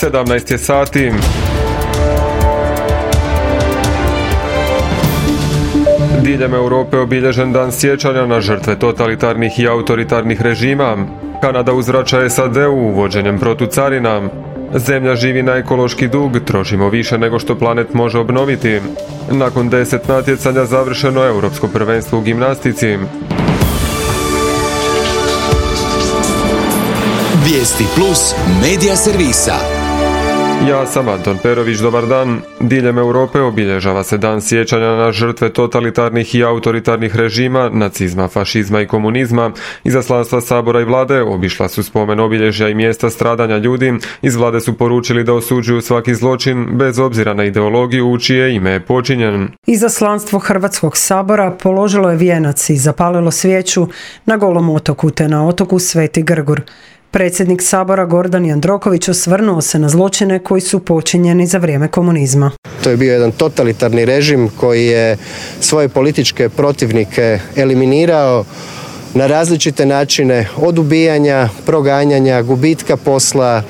17 je sati. Diljem Europe obilježen dan sjećanja na žrtve totalitarnih i autoritarnih režima. Kanada uzvraća SAD-u uvođenjem protucarina. Zemlja živi na ekološki dug, trošimo više nego što planet može obnoviti. Nakon 10 natjecanja završeno europsko prvenstvo u gimnastici. Vijesti plus medija servisa. Ja sam Anton Perović, dobar dan. Diljem Europe obilježava se dan sjećanja na žrtve totalitarnih i autoritarnih režima, nacizma, fašizma i komunizma. Izaslanstva Sabora i vlade obišla su spomen obilježja i mjesta stradanja ljudi. Iz vlade su poručili da osuđuju svaki zločin, bez obzira na ideologiju u čije ime je počinjen. Izaslanstvo Hrvatskog sabora položilo je vijenac i zapalilo svijeću na Golom otoku te na otoku Sveti Grgur. Predsjednik Sabora Gordan Jandroković osvrnuo se na zločine koji su počinjeni za vrijeme komunizma. To je bio jedan totalitarni režim koji je svoje političke protivnike eliminirao na različite načine, od ubijanja, proganjanja, gubitka posla.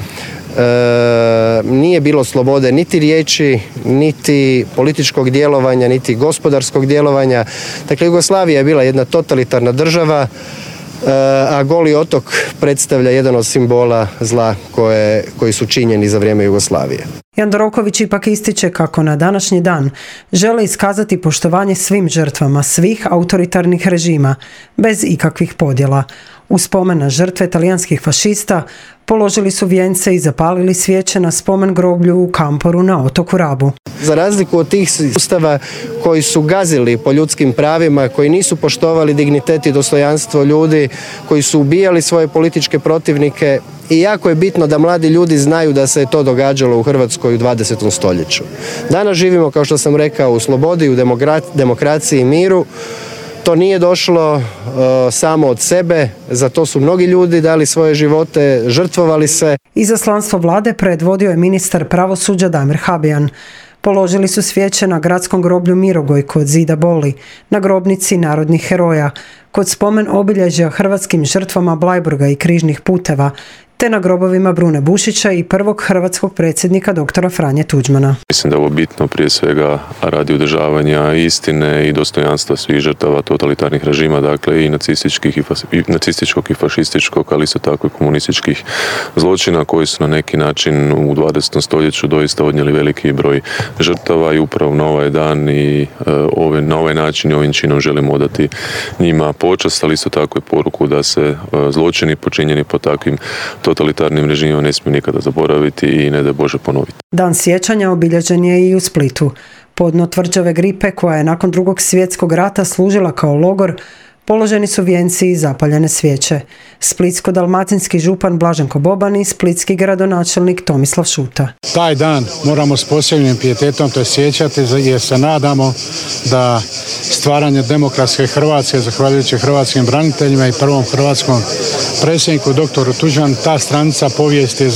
Nije bilo slobode niti riječi, niti političkog djelovanja, niti gospodarskog djelovanja. Dakle, Jugoslavija je bila jedna totalitarna država, a Goli otok predstavlja jedan od simbola zla koji su činjeni za vrijeme Jugoslavije. Jandroković ipak ističe kako na današnji dan žele iskazati poštovanje svim žrtvama svih autoritarnih režima, bez ikakvih podjela. U spomen na žrtve talijanskih fašista položili su vijence i zapalili svijeće na spomen groblju u Kamporu na otoku Rabu. Za razliku od tih sustava koji su gazili po ljudskim pravima, koji nisu poštovali dignitet i dostojanstvo ljudi, koji su ubijali svoje političke protivnike, i jako je bitno da mladi ljudi znaju da se je to događalo u Hrvatskoj u 20. stoljeću. Danas živimo, kao što sam rekao, u slobodi, u demokraciji i miru. To nije došlo samo od sebe, za to su mnogi ljudi dali svoje živote, žrtvovali se. Izaslanstvo vlade predvodio je ministar pravosuđa Damir Habijan. Položili su svijeće na gradskom groblju Mirogoj kod zida Boli, na grobnici narodnih heroja, kod spomen obilježja hrvatskim žrtvama Bleiburga i križnih puteva, te na grobovima Brune Bušića i prvog hrvatskog predsjednika doktora Franje Tuđmana. Mislim da je ovo bitno prije svega radi održavanja istine i dostojanstva svih žrtava totalitarnih režima, dakle i nacističkog i fašističkog, ali isto tako i komunističkih zločina koji su na neki način u 20. stoljeću doista odnijeli veliki broj žrtava i upravo na ovaj dan i na ovaj način i ovim činom želimo odati njima počast, ali isto tako i poruku da se zločini počinjeni po takvim totalitarnim režimima ne smiju nikada zaboraviti i ne da Bože ponoviti. Dan sjećanja obilježen je i u Splitu. Podno tvrđave Gripe, koja je nakon Drugog svjetskog rata služila kao logor, položeni su vijenci i zapaljene svijeće. Splitsko-dalmatinski župan Blaženko Boban i splitski gradonačelnik Tomislav Šuta. Taj dan moramo s posebnim pijetetom to sjećati jer se nadamo da stvaranje demokratske Hrvatske, zahvaljujući hrvatskim braniteljima i prvom hrvatskom predsjedniku doktoru Tuđmanu, ta stranica povijesti je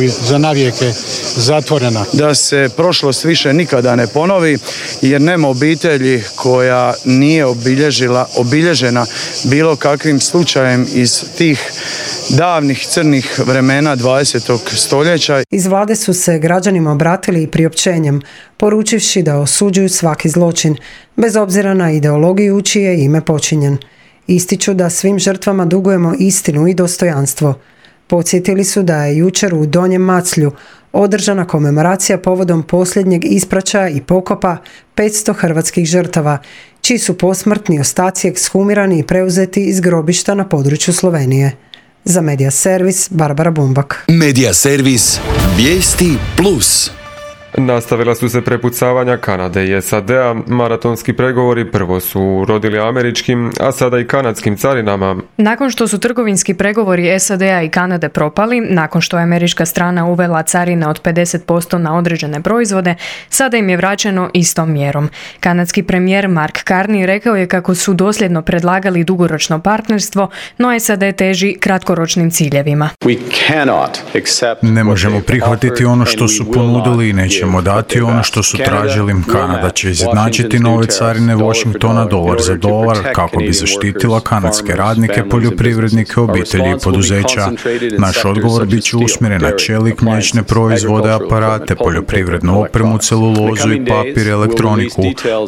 za navijeke zatvorena. Da se prošlost više nikada ne ponovi jer nema obitelji koja nije obilježena bilo kakvim slučajem iz tih davnih crnih vremena 20. stoljeća. Iz vlade su se građanima obratili i priopćenjem, poručivši da osuđuju svaki zločin, bez obzira na ideologiju u čije ime počinjen. Ističu da svim žrtvama dugujemo istinu i dostojanstvo. Podsjetili su da je jučer u Donjem Maclju održana komemoracija povodom posljednjeg ispraćaja i pokopa 500 hrvatskih žrtava, čiji su posmrtni ostaci ekshumirani i preuzeti iz grobišta na području Slovenije. Za Medija servis, Barbara Bumbak. Medija servis, vijesti plus. Nastavila su se prepucavanja Kanade i SAD-a. Maratonski pregovori prvo su urodili američkim, a sada i kanadskim carinama. Nakon što su trgovinski pregovori SAD-a i Kanade propali, nakon što je američka strana uvela carine od 50% na određene proizvode, sada im je vraćeno istom mjerom. Kanadski premijer Mark Carney rekao je kako su dosljedno predlagali dugoročno partnerstvo, no SAD teži kratkoročnim ciljevima. Ne možemo prihvatiti ono što su ponudili i nećemo ćemo dati ono što su tražili. Kanada će izjednačiti nove carine Washingtona dolar za dolar kako bi zaštitila kanadske radnike, poljoprivrednike, obitelji i poduzeća. Naš odgovor bit će usmjeren na čelik, mliječne proizvode, aparate, poljoprivrednu opremu, celulozu i papir, elektroniku.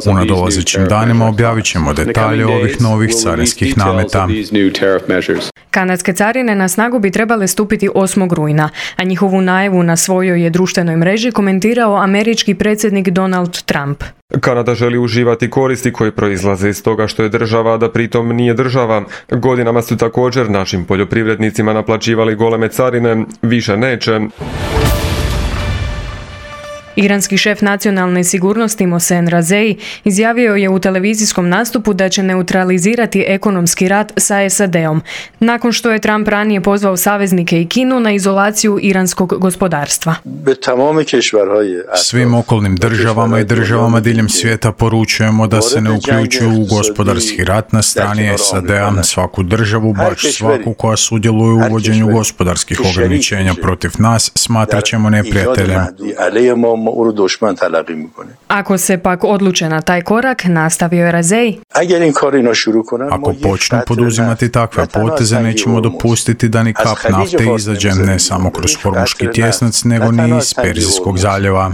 U nadolazećim danima objavit ćemo detalje ovih novih carinskih nameta. Kanadske carine na snagu bi trebale stupiti 8. rujna, a njihovu najavu na svojoj je društvenoj mreži komentirao američki predsjednik Donald Trump. Kanada želi uživati koristi koje proizlaze iz toga što je država, a da pritom nije država. Godinama su također našim poljoprivrednicima naplaćivali goleme carine, više neće. Iranski šef nacionalne sigurnosti Mohsen Razei izjavio je u televizijskom nastupu da će neutralizirati ekonomski rat sa SAD-om, nakon što je Trump ranije pozvao saveznike i Kinu na izolaciju iranskog gospodarstva. Svim okolnim državama i državama diljem svijeta poručujemo da se ne uključuju u gospodarski rat na strani SAD-a. Svaku državu, baš svaku koja sudjeluje u uvođenju gospodarskih ograničenja protiv nas, smatrat ćemo neprijateljem. Ako se pak odluče na taj korak, nastavio je Razei, ako počnu poduzimati takve poteze, nećemo dopustiti da ni kap nafte izađe ne samo kroz Hormuški tjesnac, nego ni iz Perzijskog zaljeva.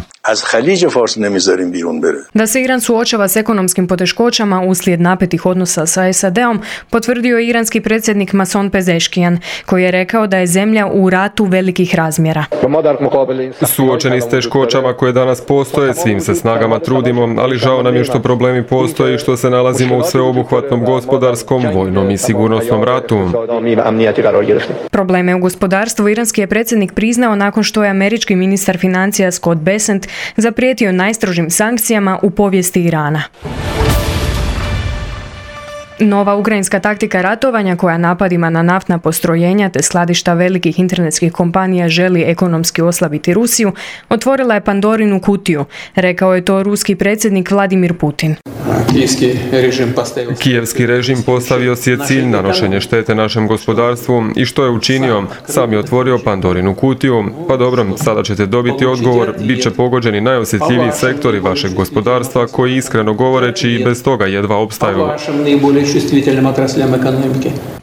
Da se Iran suočava s ekonomskim poteškoćama uslijed napetih odnosa sa SAD-om, potvrdio je iranski predsjednik Mason Pezeshkian, koji je rekao da je zemlja u ratu velikih razmjera. Suočeni s teškoćama koje danas postoje, svim se snagama trudimo, ali žao nam je što problemi postoje i što se nalazimo u sveobuhvatnom gospodarskom, vojnom i sigurnosnom ratu. Probleme u gospodarstvu iranski je predsjednik priznao nakon što je američki ministar financija Scott Bessent zaprijetio najstrožim sankcijama u povijesti Irana. Nova ukrajinska taktika ratovanja koja napadima na naftna postrojenja te skladišta velikih internetskih kompanija želi ekonomski oslabiti Rusiju, otvorila je Pandorinu kutiju, rekao je to ruski predsjednik Vladimir Putin. Kijevski režim postavio si je cilj nanošenje štete našem gospodarstvu i što je učinio? Sam je otvorio Pandorinu kutiju. Pa dobro, sada ćete dobiti odgovor, bit će pogođeni najosjetljiviji sektori vašeg gospodarstva koji iskreno govoreći i bez toga jedva opstaju.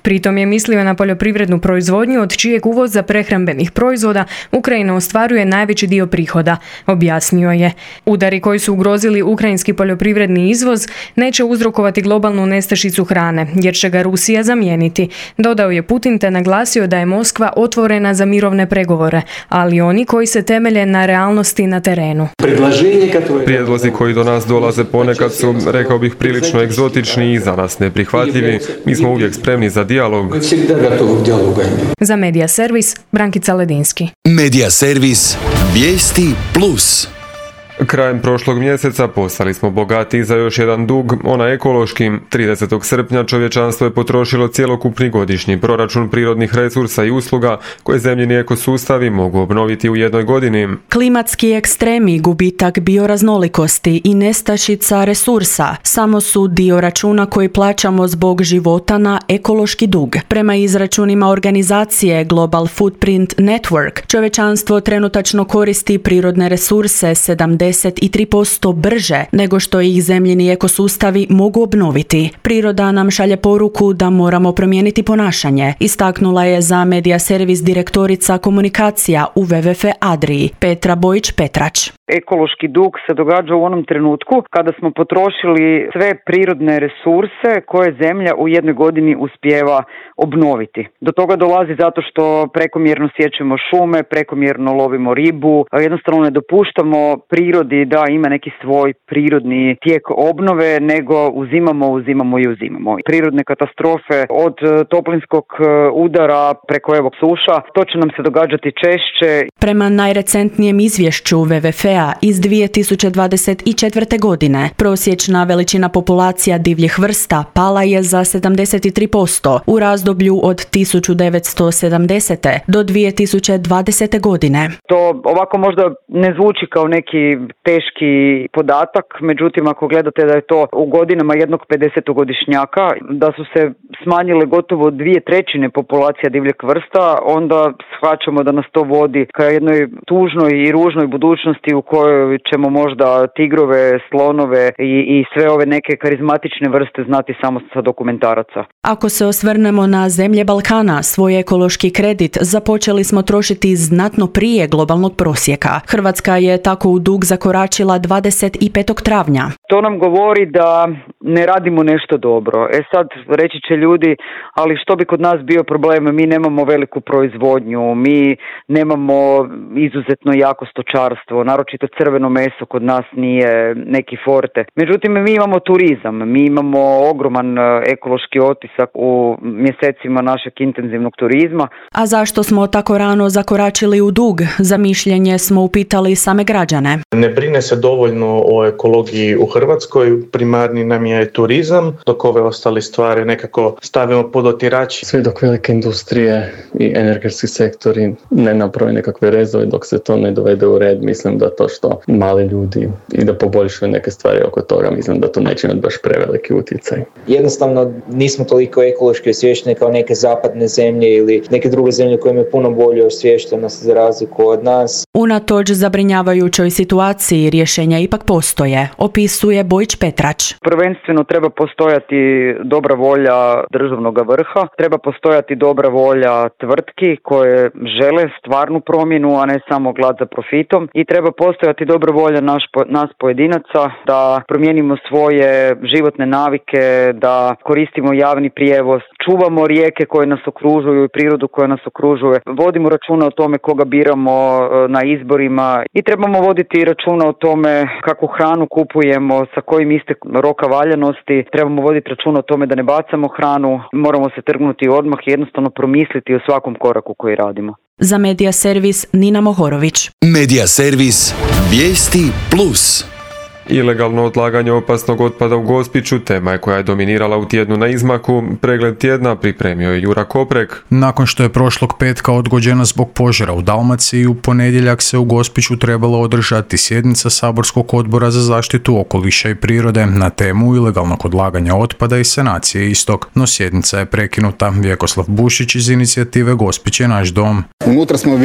Pritom je mislio na poljoprivrednu proizvodnju od čijeg uvoza prehrambenih proizvoda Ukrajina ostvaruje najveći dio prihoda, objasnio je. Udari koji su ugrozili ukrajinski poljoprivredni izvoz neće uzrokovati globalnu nestašicu hrane, jer će ga Rusija zamijeniti, dodao je Putin te naglasio da je Moskva otvorena za mirovne pregovore, ali oni koji se temelje na realnosti na terenu. Prijedlozi koji do nas dolaze ponekad su, rekao bih, prilično egzotični i za nas neprihvatljivi. Mi smo uvijek spremni za dijalog. Za Medija servis, Brankica Ledinski. Medija servis, vijesti plus. Krajem prošlog mjeseca postali smo bogati za još jedan dug, onaj ekološki. 30. srpnja čovječanstvo je potrošilo cjelokupni godišnji proračun prirodnih resursa i usluga koje zemljini ekosustavi mogu obnoviti u jednoj godini. Klimatski ekstremi, gubitak bioraznolikosti i nestašica resursa samo su dio računa koji plaćamo zbog života na ekološki dug. Prema izračunima organizacije Global Footprint Network, čovječanstvo trenutačno koristi prirodne resurse 73% brže nego što ih zemljini ekosustavi mogu obnoviti. Priroda nam šalje poruku da moramo promijeniti ponašanje, istaknula je za Medija servis direktorica komunikacija u WWF Adriji, Petra Bojić-Petrać. Ekološki dug se događa u onom trenutku kada smo potrošili sve prirodne resurse koje zemlja u jednoj godini uspijeva obnoviti. Do toga dolazi zato što prekomjerno sječemo šume, prekomjerno lovimo ribu, jednostavno ne dopuštamo prirodi da ima neki svoj prirodni tijek obnove, nego uzimamo. Prirodne katastrofe od toplinskog udara preko suša, to će nam se događati češće. Prema najrecentnijem izvješću WWF-a iz 2024. godine, prosječna veličina populacija divljih vrsta pala je za 73% u razdoblju od 1970. do 2020. godine. To ovako možda ne zvuči kao neki teški podatak, međutim ako gledate da je to u godinama jednog 50-godišnjaka, da su se smanjile gotovo 2/3 populacija divljeg vrsta, onda shvaćamo da nas to vodi ka jednoj tužnoj i ružnoj budućnosti u kojoj ćemo možda tigrove, slonove i sve ove neke karizmatične vrste znati samo sa dokumentaraca. Ako se osvrnemo na zemlje Balkana, svoj ekološki kredit započeli smo trošiti znatno prije globalnog prosjeka. Hrvatska je tako u dug zakoračila 25. travnja. To nam govori da ne radimo nešto dobro. Sad reći će ljudi, ali što bi kod nas bio problem? Mi nemamo veliku proizvodnju, mi nemamo izuzetno jako stočarstvo, naročito crveno meso kod nas nije neki forte. Međutim, mi imamo turizam, mi imamo ogroman ekološki otisak u mjesecima našeg intenzivnog turizma. A zašto smo tako rano zakoračili u dug? Za mišljenje smo upitali same građane. Ne brine se dovoljno o ekologiji u Hrvatskoj, primarni nam je turizam, dok ove ostale stvari nekako stavimo pod otirač. Sve dok velike industrije i energetski sektori ne naprave nekakve rezove, dok se to ne dovede u red, mislim da to što mali ljudi i da poboljšaju neke stvari oko toga, mislim da to neće imati baš preveliki utjecaj. Jednostavno nismo toliko ekološki osviješteni kao neke zapadne zemlje ili neke druge zemlje koje imaju puno bolju osviještenost za razliku od nas. Unatoč zabrinjavajućoj situaciji rješenja ipak postoje, opisuje Bojić Petrač. Prvenstveno treba postojati dobra volja državnog vrha, treba postojati dobra volja tvrtki koje žele stvarnu promjenu, a ne samo glad za profitom, i treba postojati dobra volja nas pojedinaca da promijenimo svoje životne navike, da koristimo javni prijevoz, čuvamo rijeke koje nas okružuju i prirodu koja nas okružuje, vodimo računa o tome koga biramo na izborima i trebamo voditi računa o tome kakvu hranu kupujemo, sa kojim istekom roka valjanosti, trebamo voditi računa o tome da ne bacamo hranu, moramo se trgnuti odmah i jednostavno promisliti o svakom koraku koji radimo. Za Medija servis Nina Mohorović. Medija servis Vijesti Plus. Ilegalno odlaganje opasnog otpada u Gospiću tema je koja je dominirala u tjednu na izmaku. Pregled tjedna pripremio je Jura Koprek. Nakon što je prošlog petka odgođena zbog požara u Dalmaciji, u ponedjeljak se u Gospiću trebalo održati sjednica saborskog odbora za zaštitu okoliša i prirode na temu ilegalnog odlaganja otpada i sanacije istog. No sjednica je prekinuta. Vjekoslav Bušić iz inicijative Gospić je naš dom. Unutra smo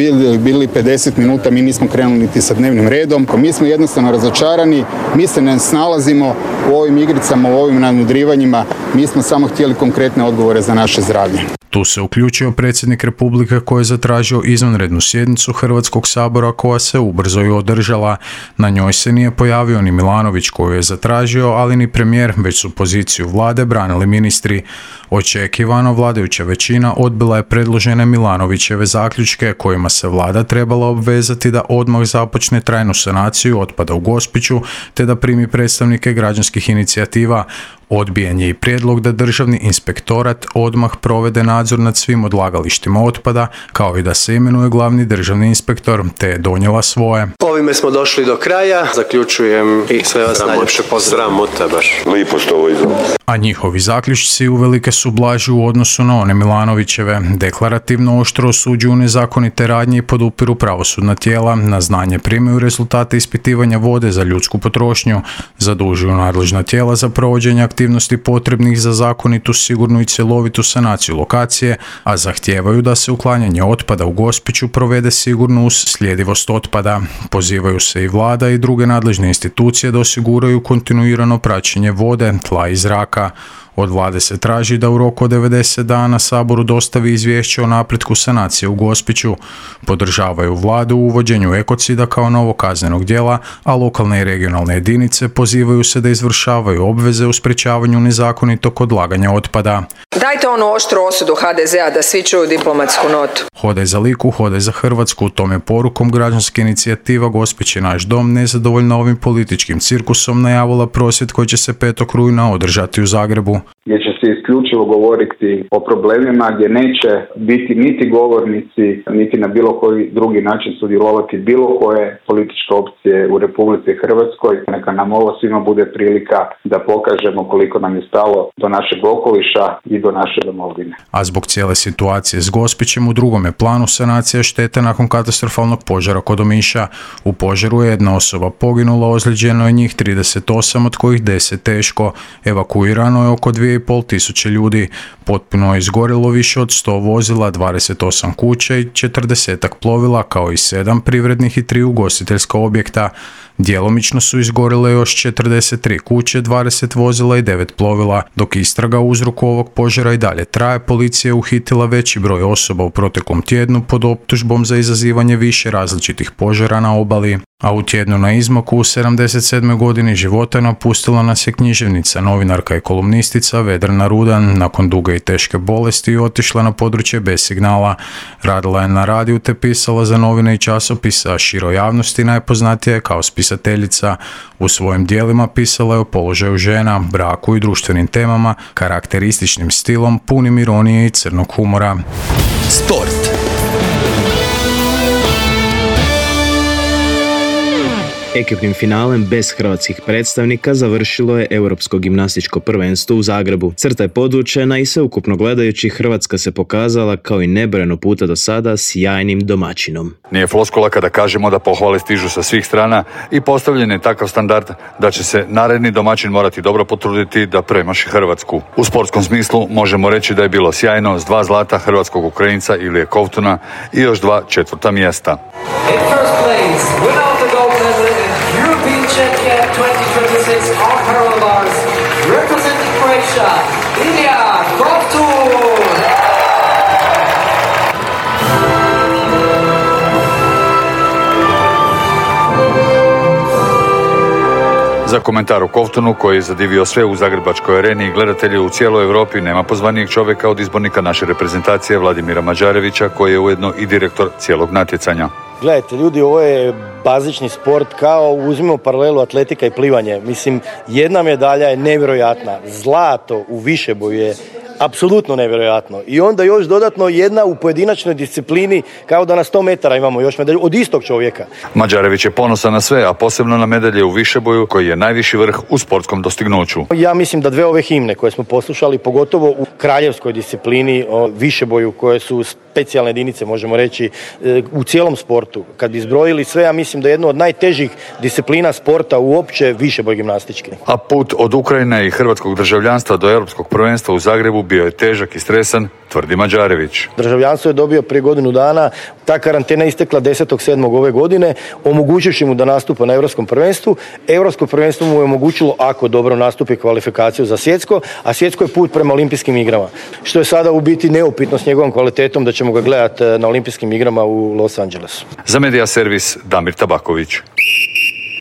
bili 50 minuta, mi nismo krenuli niti sa dnevnim redom. Mi smo jednostavno razočarani. Mi se ne snalazimo u ovim igricama, u ovim nadmudrivanjima, mi smo samo htjeli konkretne odgovore za naše zdravlje. Tu se uključio predsjednik Republike koji je zatražio izvanrednu sjednicu Hrvatskog sabora koja se ubrzo i održala. Na njoj se nije pojavio ni Milanović koju je zatražio, ali ni premijer, već su poziciju vlade branili ministri. Očekivano vladajuća većina odbila je predložene Milanovićeve zaključke kojima se vlada trebala obvezati da odmah započne trajnu sanaciju otpada u Gospiću te da primi predstavnike građanskih inicijativa. Odbijen je i prijedlog da državni inspektorat odmah provede nadzor nad svim odlagalištima otpada, kao i da se imenuje glavni državni inspektor, te je donijela svoje. Ovime smo došli do kraja, zaključujem i sve vas najljepše pozdravljam. Sramota baš. Lipo što ovo izgleda. A njihovi zaključci uvelike su blaži u odnosu na one Milanovićeve. Deklarativno oštro osuđuju nezakonite radnje i podupiru pravosudna tijela, na znanje primaju rezultate ispitivanja vode za ljudsku potrošnju, zadužuju nadležna tijela za provođenje aktivnosti potrebnih za zakonitu, sigurnu i cjelovitu sanaciju lokacije, a zahtijevaju da se uklanjanje otpada u Gospiću provede sigurno uz sljedivost otpada. Pozivaju se i vlada i druge nadležne institucije da osiguraju kontinuirano praćenje vode, tla i zraka. Od vlade se traži da u roku od 90 dana Saboru dostavi izvješće o napretku sanacije u Gospiću. Podržavaju vladu u uvođenju ekocida kao novog kaznenog djela, a lokalne i regionalne jedinice pozivaju se da izvršavaju obveze u sprečavanju nezakonitog odlaganja otpada. Dajte onu oštru osudu HDZ-a da svi čuju diplomatsku notu. Hodaj za Liku, hodaj za Hrvatsku. Tom je porukom građanska inicijativa Gospić je naš dom nezadovoljna ovim političkim cirkusom najavila prosvjed koji će se 5. rujna održati u Zagrebu. Gdje će se isključivo govoriti o problemima, gdje neće biti niti govornici, niti na bilo koji drugi način sudjelovati bilo koje političke opcije u Republici Hrvatskoj. Neka nam ovo svima bude prilika da pokažemo koliko nam je stalo do našeg okoliša i do naše domovine. A zbog cijele situacije s Gospićem u drugom je planu sanacija štete nakon katastrofalnog požara kod Omiša. U požaru je jedna osoba poginula, ozlijeđeno je njih 38, od kojih 10 teško. Evakuirano je oko 2 2.500 ljudi. Potpuno je izgorilo više od 100 vozila, 28 kuća i 40 plovila, kao i 7 privrednih i 3 ugostiteljska objekta. Djelomično su izgorile još 43 kuće, 20 vozila i 9 plovila. Dok istraga o uzroku ovog požara i dalje traje, policija je uhitila veći broj osoba u proteklom tjednu pod optužbom za izazivanje više različitih požara na obali. A u tjednu na izmaku u 77. godini života napustila nas je književnica, novinarka i kolumnistica Vedrana Rudan. Nakon duge i teške bolesti otišla na područje bez signala. Radila je na radiju te pisala za novine i časopise, a široj javnosti najpoznatija je kao spisateljica. U svojim dijelima pisala je o položaju žena, braku i društvenim temama, karakterističnim stilom, punim ironije i crnog humora. Sport. Ekipnim finalem bez hrvatskih predstavnika završilo je Europsko gimnastičko prvenstvo u Zagrebu. Crta je podvučena i sveukupno gledajući Hrvatska se pokazala kao i nebrojeno puta do sada sjajnim domaćinom. Nije floskula kada kažemo da pohvale stižu sa svih strana i postavljen je takav standard da će se naredni domaćin morati dobro potruditi da premaši Hrvatsku. U sportskom smislu možemo reći da je bilo sjajno s 2 zlata hrvatskog Ukrajinca Ilije Kovtuna i još 2 četvrta mjesta. Czechia 2026 all-parallel bars, representing Croatia, Ilija Kovtun! Za komentar o Kovtunu, koji je zadivio sve u Zagrebačkoj areni i gledatelje u cijeloj Europi, nema pozvanijeg čovjeka od izbornika naše reprezentacije Vladimira Mađarevića, koji je ujedno i direktor cijelog natjecanja. Gledajte, ljudi, ovo je bazični sport, kao uzmimo paralelu atletika i plivanje. Mislim, jedna medalja je nevjerojatna. Zlato u višeboju je apsolutno nevjerojatno. I onda još dodatno jedna u pojedinačnoj disciplini, kao da na 100 metara imamo još medalju od istog čovjeka. Mađarević je ponosan na sve, a posebno na medalje u višeboju, koji je najviši vrh u sportskom dostignuću. Ja mislim da 2 ove himne koje smo poslušali, pogotovo u kraljevskoj disciplini o višeboju, koje su specijalne jedinice, možemo reći, u cijelom sportu. Kad bi zbrojili sve, ja mislim da je jedno od najtežih disciplina sporta uopće višeboj gimnastički. A put od Ukrajine i hrvatskog državljanstva do europskog prvenstva u Zagrebu bio je težak i stresan, tvrdi Mađarević. Državljanstvo je dobio prije godinu dana, ta karantena istekla 10.7. ove godine, omogućivši mu da nastupa na europskom prvenstvu. Europsko prvenstvo mu je omogućilo, ako dobro nastupi, kvalifikaciju za svjetsko, a svjetsko je put prema olimpijskim igrama. Što je sada u biti neupitno s njegovom kvalitetom da ćemo ga gledati na olimpijskim igrama u Los Angelesu. Za Media Servis Damir Tabaković.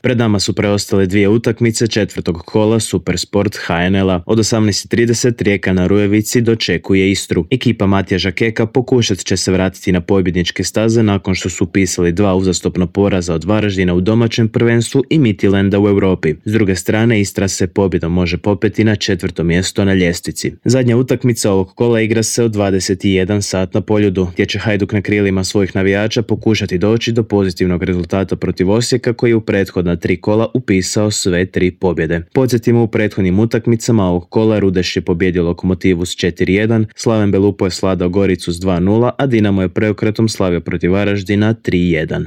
Pred nama su preostale 2 utakmice 4. kola Supersport HNL-a. Od 18.30 Rijeka na Rujevici dočekuje Istru. Ekipa Matija Žakeka pokušat će se vratiti na pobjedničke staze nakon što su upisali 2 uzastopna poraza od Varaždina u domaćem prvenstvu i Midtjylanda u Europi. S druge strane, Istra se pobjedom može popeti na 4. mjesto na ljestvici. Zadnja utakmica ovog kola igra se od 21 sat na Poljudu, gdje će Hajduk na krilima svojih navijača pokušati doći do pozitivnog rezultata protiv Osijeka, koji je u prethodna 3 kola upisao sve 3 pobjede. Podsjetimo, u prethodnim utakmicama ovog kola Rudeš je pobjedio Lokomotivu s 4-1, Slaven Belupo je svladao Goricu s 2-0, a Dinamo je preokretom slavio protiv Varaždina 3-1.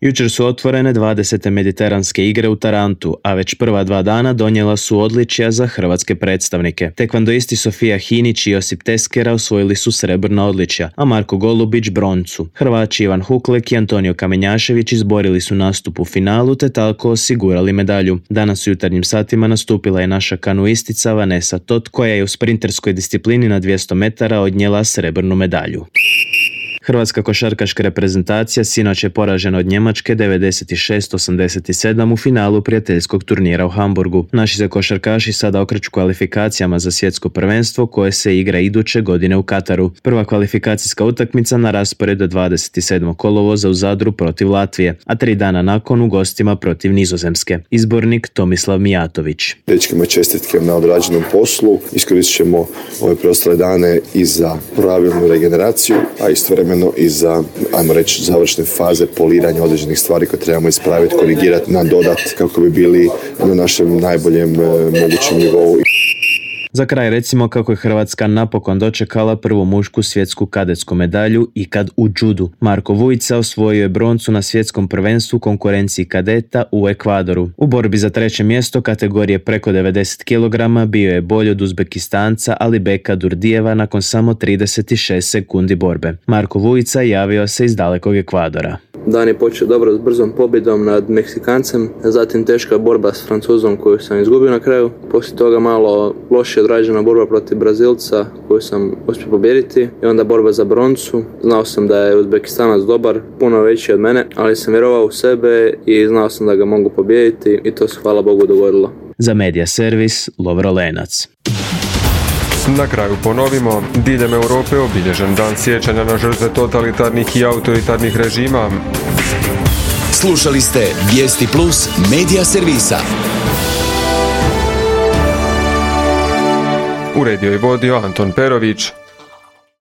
Jučer su otvorene 20. mediteranske igre u Tarantu, a već prva 2 dana donijela su odličja za hrvatske predstavnike. Tekvandoisti Sofija Hinić i Josip Teskera osvojili su srebrna odličja, a Marko Golubić broncu. Hrvači Ivan Huklek i Antonio Kamenjašević izborili su nastup u finalu te tako osigurali medalju. Danas u jutarnjim satima nastupila je naša kanuistica Vanessa Tot, koja je u sprinterskoj disciplini na 200 metara odnijela srebrnu medalju. Hrvatska košarkaška reprezentacija sinoć je poražena od Njemačke 96-87 u finalu prijateljskog turnira u Hamburgu. Naši se košarkaši sada okreću kvalifikacijama za svjetsko prvenstvo koje se igra iduće godine u Kataru. Prva kvalifikacijska utakmica na rasporedu 27. kolovoza u Zadru protiv Latvije, a 3 dana nakon u gostima protiv Nizozemske. Izbornik Tomislav Mijatović. Dečkima čestitke na odrađenom poslu. Iskoristit ćemo ove preostale dane i za pravilnu regeneraciju, a istovremeno i za, ajmo reći, završne faze poliranja određenih stvari koje trebamo ispraviti, korigirati, nadodati kako bi bili na našem najboljem mogućem nivou. Za kraj recimo kako je Hrvatska napokon dočekala prvu mušku svjetsku kadetsku medalju ikad u judu. Marko Vujica osvojio je broncu na svjetskom prvenstvu konkurenciji kadeta u Ekvadoru. U borbi za 3. mjesto kategorije preko 90 kg bio je bolji od Uzbekistanca Alibeka Durdijeva nakon samo 36 sekundi borbe. Marko Vujica javio se iz dalekog Ekvadora. Dan je počeo dobro s brzom pobjedom nad Meksikancem, zatim teška borba s Francuzom koju sam izgubio na kraju. Poslije toga malo lošije odrađena borba protiv Brazilca koju sam uspio pobijediti i onda borba za broncu. Znao sam da je Uzbekistanac dobar, puno veći od mene, ali sam vjerovao u sebe i znao sam da ga mogu pobijediti i to se hvala Bogu dogodilo. Za Media Servis, Lovro Lenac. Na kraju ponovimo, diljem Europe obilježen dan sjećanja na žrtve totalitarnih i autoritarnih režima. Slušali ste Vijesti Plus Media Servisa. Uredio i vodio Anton Perović.